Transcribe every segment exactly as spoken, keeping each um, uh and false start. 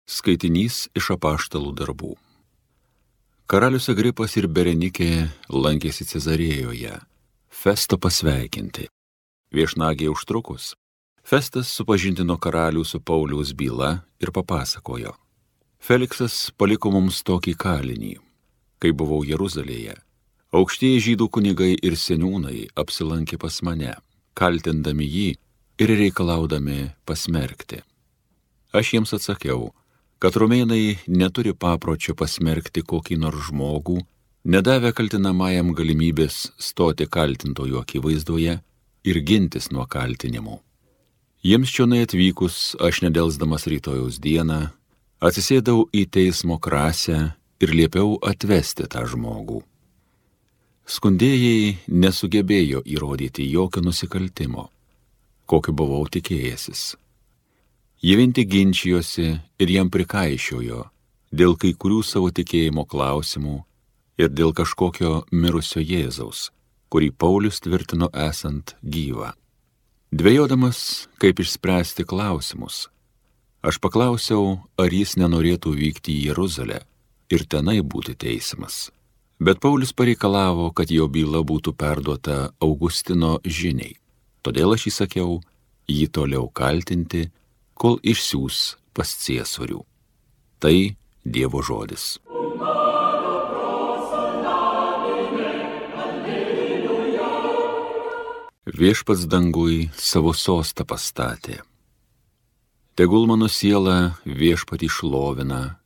Skaitinys iš apaštalų darbų. Karalius Agripas ir Berenikė lankėsi Cezarėjoje, Festo pasveikinti. Viešnagiai užtrukus, Festas supažindino karalių su Pauliaus byla ir papasakojo. Feliksas paliko mums tokį kalinį. Kai buvau Jeruzalėje, aukštieji žydų kunigai ir seniūnai apsilankė pas mane, kaltindami jį ir reikalaudami pasmerkti. Aš jiems atsakiau, kad romėnai neturi papročio pasmerkti kokį nors žmogų, nedavę kaltinamajam galimybės stoti kaltintojų akivaizdoje ir gintis nuo kaltinimų. Jiems čionai atvykus, aš nedelsdamas rytojaus dieną, atsisėdau į teismo krasę ir liepiau atvesti tą žmogų. Skundėjai nesugebėjo įrodyti jokio nusikaltimo, kokio buvau tikėjęsis. Jie vien tik ginčijosi ir jam prikaišiojo dėl kai kurių savo tikėjimo klausimų ir dėl kažkokio mirusio Jėzaus, kurį Paulius tvirtino esant gyvą. Dvejodamas, kaip išspręsti klausimus, aš paklausiau, ar jis nenorėtų vykti į Jeruzalę ir tenai būti teisiamas. Bet Paulius pareikalavo, kad jo byla būtų perduota Augustino žiniai. Todėl aš įsakiau jį toliau kaltinti, kol išsiųs pas ciesorių. Tai Dievo žodis. Viešpats dangui savo sostą pastatė. Tegul mano siela viešpatį šlovina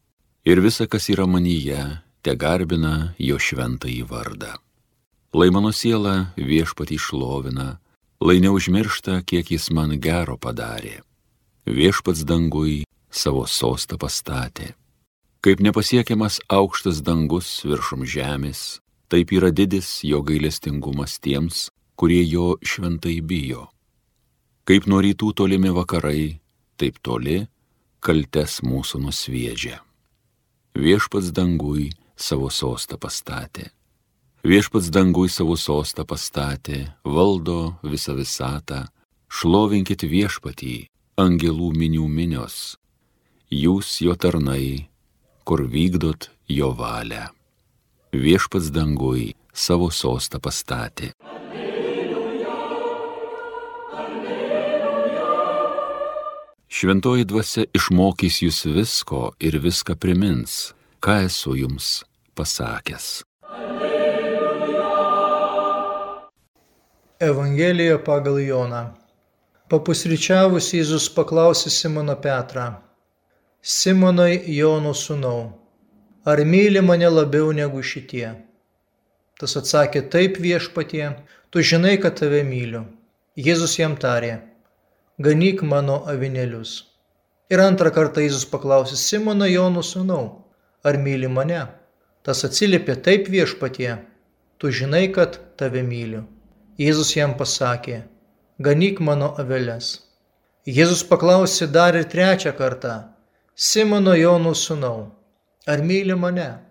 ir visa, kas yra manyje, te garbina jo šventąjį vardą. Lai mano siela viešpatį šlovina, lai neužmiršta, kiek jis man gero padarė. Viešpats dangui savo sostą pastatė. Kaip nepasiekiamas aukštas dangus viršum žemės, taip yra didis jo gailestingumas tiems, kurie jo šventai bijo. Kaip nuo rytų tolimi vakarai, taip toli kaltes mūsų nusviedžia. Viešpats dangui savo sostą pastatė. Viešpats dangui savo sostą pastatė, valdo visą visatą, šlovinkit viešpatį, angelų minių minios, jūs jo tarnai, kur vykdot jo valią. Viešpats dangui savo sostą pastatė. Alleluja, alleluja. Šventoji dvasia išmokys jūs visko ir viską primins, ką esu jums pasakęs. Alleluja. Evangelija pagal Joną. Papusryčiavus Jėzus paklausė Simoną Petrą: Simonai, Jono sūnau, ar myli mane labiau negu šitie? Tas atsakė: Taip, viešpatie, tu žinai, kad tave myliu. Jėzus jam tarė: Ganyk mano avinėlius. Ir antrą kartą Jėzus paklausė Simoną, Jono sūnau, ar myli mane? Tas atsiliepė: Taip, viešpatie, tu žinai, kad tave myliu. Jėzus jam pasakė: Ganyk mano aveles. Jėzus paklausė dar ir trečią kartą: Simono, Jono sūnau, ar myli mane?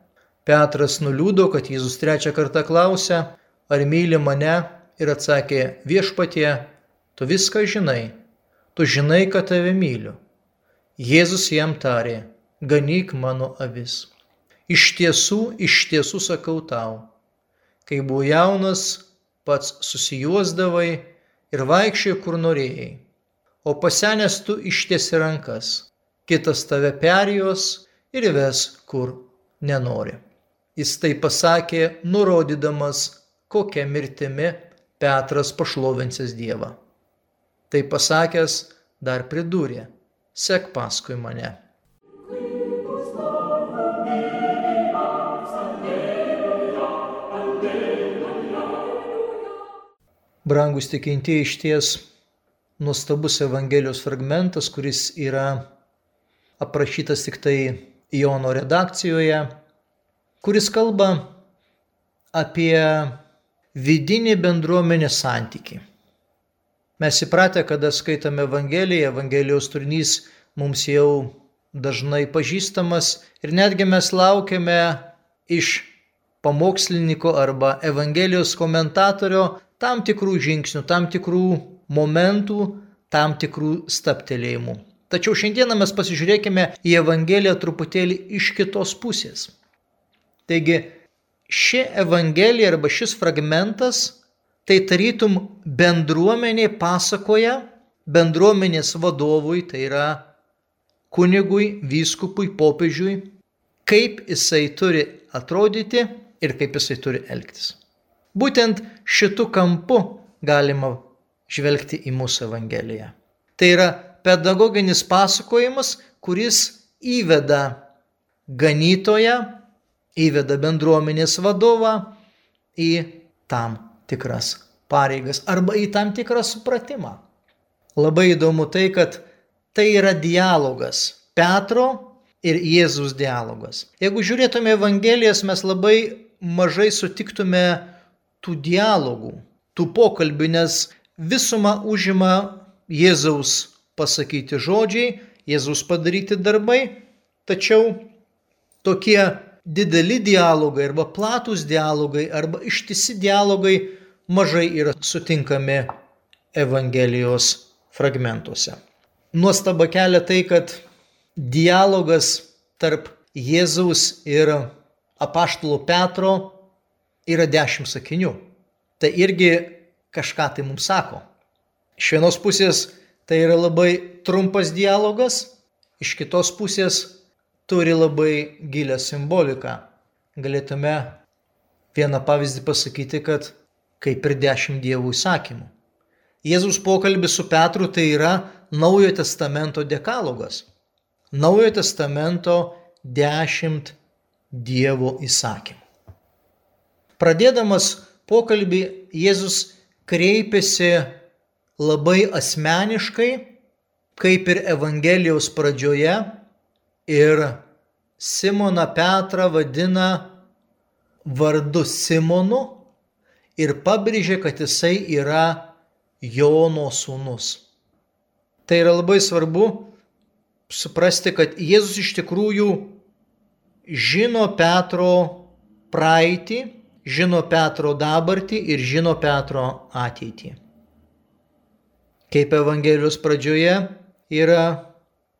Petras nuliūdo, kad Jėzus trečią kartą klausė, ar myli mane, ir atsakė: Viešpatie, tu viską žinai, tu žinai, kad tave myliu. Jėzus jam tarė: Ganyk mano avis. Iš tiesų, iš tiesų sakau tau, kai buvai jaunas, pats susijuosdavai ir vaikščiai, kur norėjai, o pasenęs tu ištiesi rankas, kitas tave perjos ir ves, kur nenori. Jis tai pasakė, nurodydamas, kokia mirtimi Petras pašlovinsis Dievą. Tai pasakęs, dar pridūrė: sek paskui mane. Brangus tikintieji, išties nuostabus Evangelijos fragmentas, kuris yra aprašytas tik tai Jono redakcijoje, kuris kalba apie vidinį bendruomenės santykį. Mes įpratę, kada skaitome Evangeliją, Evangelijos turinys mums jau dažnai pažįstamas ir netgi mes laukiame iš pamokslininko arba Evangelijos komentatorio tam tikrų žingsnių, tam tikrų momentų, tam tikrų stabtelėjimų. Tačiau šiandieną mes pasižiūrėkime į Evangeliją truputėlį iš kitos pusės. Taigi, ši Evangelija arba šis fragmentas, tai tarytum bendruomenė pasakoja bendruomenės vadovui, tai yra kunigui, vyskupui, popiežiui, kaip jisai turi atrodyti ir kaip jisai turi elgtis. Būtent šitu kampu galima žvelgti į mūsų Evangeliją. Tai yra pedagoginis pasakojimas, kuris įveda ganytoją, įveda bendruomenės vadovą į tam tikras pareigas arba į tam tikrą supratimą. Labai įdomu tai, kad tai yra dialogas, Petro ir Jėzus dialogas. Jeigu žiūrėtume Evangelijas, mes labai mažai sutiktume tų dialogų, tų pokalbių, nes visumą užima Jėzaus pasakyti žodžiai, Jėzaus padaryti darbai, tačiau tokie dideli dialogai arba platūs dialogai arba ištisi dialogai mažai yra sutinkami Evangelijos fragmentuose. Nuostaba kelia tai, kad dialogas tarp Jėzaus ir apaštalo Petro yra dešimt sakinių. Tai irgi kažką tai mums sako. Iš vienos pusės tai yra labai trumpas dialogas, iš kitos pusės turi labai gilią simboliką. Galėtume vieną pavyzdį pasakyti, kad kaip ir dešimt Dievo įsakymų. Jėzus pokalbis su Petru tai yra Naujojo testamento dekalogas. Naujojo testamento dešimt Dievo įsakymų. Pradėdamas pokalbį, Jėzus kreipėsi labai asmeniškai, kaip ir Evangelijos pradžioje, ir Simoną Petrą vadina vardu Simonu ir pabrėžė, kad jisai yra Jono sūnus. Tai yra labai svarbu suprasti, kad Jėzus iš tikrųjų žino Petro praeitį, žino Petro dabartį ir žino Petro ateitį. Kaip Evangelijos pradžioje yra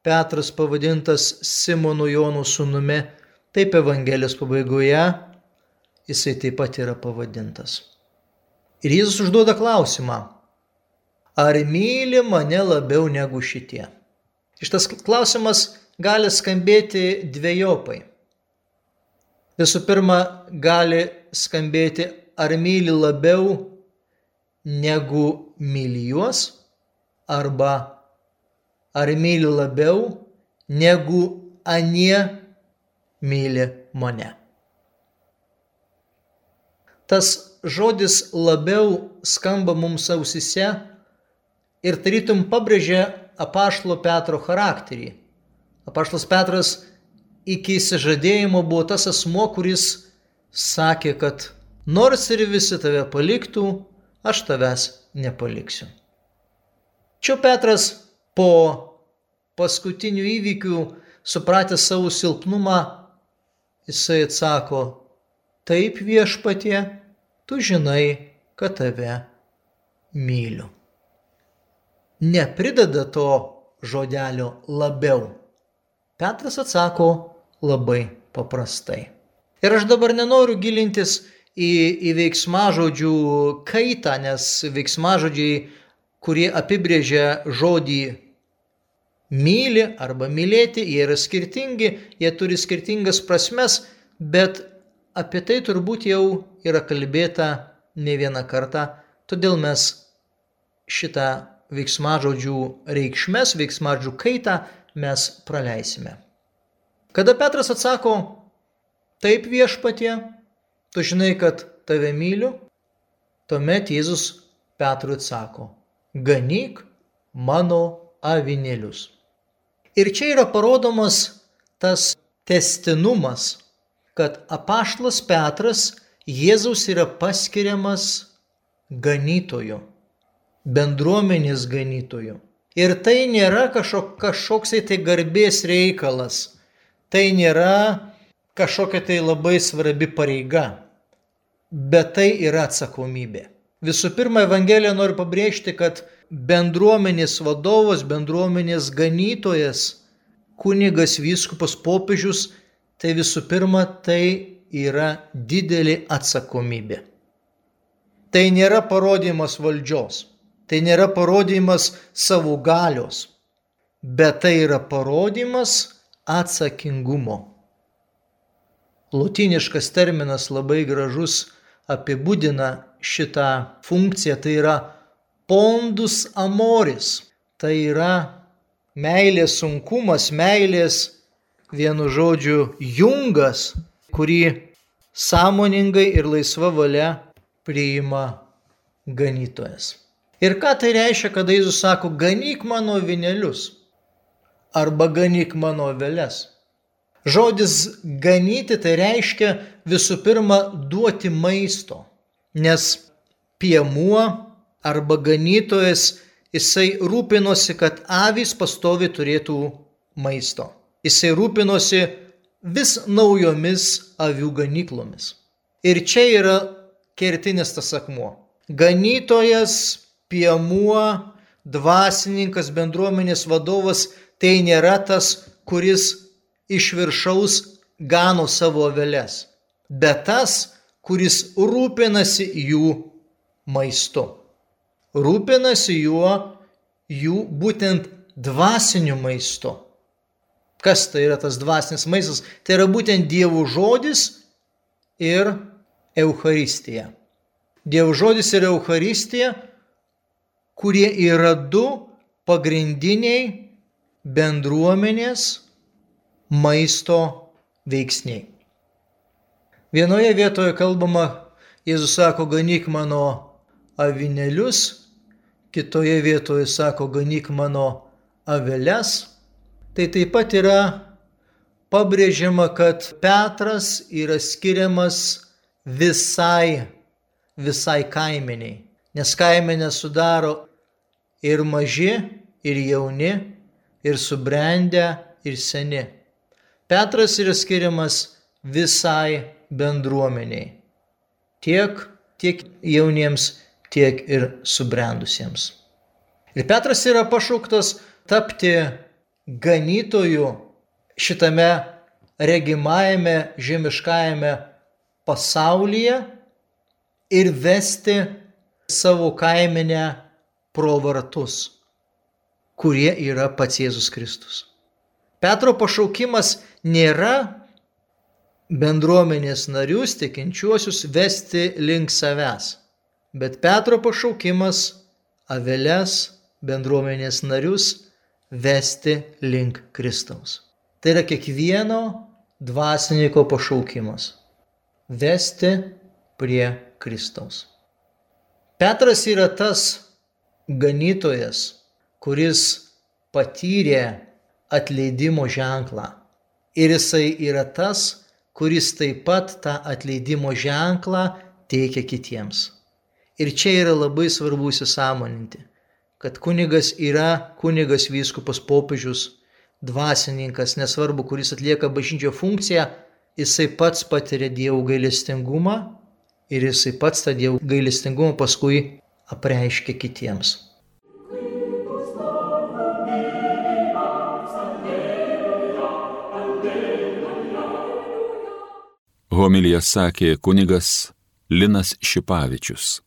Petras pavadintas Simonu Jono sūnumi, taip Evangelijos pabaigoje jisai taip pat yra pavadintas. Ir Jėzus užduoda klausimą: ar myli mane labiau negu šitie? Šitas klausimas gali skambėti dvejopai. Visų pirma, gali skambėti, ar myli labiau negu myli juos, arba ar myli labiau negu anie myli mane. Tas žodis labiau skamba mums ausyse ir tarytum pabrėžia apaštalo Petro charakterį. Apaštalas Petras iki išsižadėjimo buvo tas asmuo, kuris sakė, kad nors ir visi tave paliktų, aš tavęs nepaliksiu. Čia Petras po paskutinių įvykių, supratęs savo silpnumą, jisai atsako: taip, Viešpatie, tu žinai, kad tave myliu. Neprideda to žodelio labiau. Petras atsako labai paprastai. Ir aš dabar nenoriu gilintis į, į veiksmažodžių kaitą, nes veiksmažodžiai, kurie apibrėžia žodį myli arba mylėti, jie yra skirtingi, jie turi skirtingas prasmes, bet apie tai turbūt jau yra kalbėta ne vieną kartą, todėl mes šitą veiksmažodžių reikšmes, veiksmažodžių kaitą mes praleisime. Kada Petras atsako: taip, Viešpatie, tu žinai, kad tave myliu, tuomet Jėzus Petrui atsako: ganyk mano avinėlius. Ir čia yra parodomas tas tęstinumas, kad apaštalas Petras Jėzaus yra paskiriamas ganytoju, bendruomenės ganytoju. Ir tai nėra kažkok, kažkoksai tai garbės reikalas, tai nėra kažkokia tai labai svarbi pareiga, bet tai yra atsakomybė. Visų pirma, Evangelija nori pabrėžti, kad bendruomenės vadovas, bendruomenės ganytojas, kunigas, vyskupas, popiežius, tai visų pirma, tai yra didelė atsakomybė. Tai nėra parodymas valdžios, tai nėra parodymas savo galios, bet tai yra parodymas atsakingumo. Lotyniškas terminas labai gražus apibūdina šitą funkciją, tai yra pondus amoris, tai yra meilės sunkumas, meilės, vienu žodžiu, jungas, kurį sąmoningai ir laisva valia priima ganytojas. Ir ką tai reiškia, kada Jėzus sako, ganyk mano avinėlius arba ganyk mano aveles? Žodis ganyti tai reiškia visų pirma duoti maisto, nes piemuo arba ganytojas, jisai rūpinosi, kad avys pastovi turėtų maisto. Jisai rūpinosi vis naujomis avių ganyklomis. Ir čia yra kertinis tas akmuo. Ganytojas, piemuo, dvasininkas, bendruomenės vadovas, tai nėra tas, kuris iš viršaus gano savo aveles, bet tas, kuris rūpinasi jų maistu. Rūpinasi juo, jų būtent dvasiniu maistu. Kas tai yra tas dvasinis maistas? Tai yra būtent Dievo žodis ir Eucharistija. Dievo žodis ir Eucharistija, kurie yra du pagrindiniai bendruomenės maisto veiksniai. Vienoje vietoje kalbama, Jėzus sako, ganyk mano avinėlius, kitoje vietoje sako, ganyk mano aveles. Tai taip pat yra pabrėžiama, kad Petras yra skiriamas visai, visai kaimeniai, nes kaimenę sudaro ir maži, ir jauni, ir subrendę, ir seni. Petras yra skiriamas visai bendruomeniai, tiek, tiek jauniems, tiek ir subrendusiems. Ir Petras yra pašauktas tapti ganytoju šitame regimajame, žemiškajame pasaulyje ir vesti savo kaimenę pro vartus, kurie yra pats Jėzus Kristus. Petro pašaukimas nėra bendruomenės narius, tikinčiuosius vesti link savęs, bet Petro pašaukimas aveles, bendruomenės narius vesti link Kristaus. Tai yra kiekvieno dvasininko pašaukimas – vesti prie Kristaus. Petras yra tas ganytojas, kuris patyrė atleidimo ženklą. Ir jisai yra tas, kuris taip pat tą atleidimo ženklą teikia kitiems. Ir čia yra labai svarbu įsisąmoninti, kad kunigas yra kunigas, vyskupas, popiežius, dvasininkas, nesvarbu, kuris atlieka bažnyčio funkciją, jisai pats patiria Dievo gailestingumą ir jisai pats tą Dievo gailestingumą paskui apreiškia kitiems. Homiliją sakė kunigas Linas Šipavičius.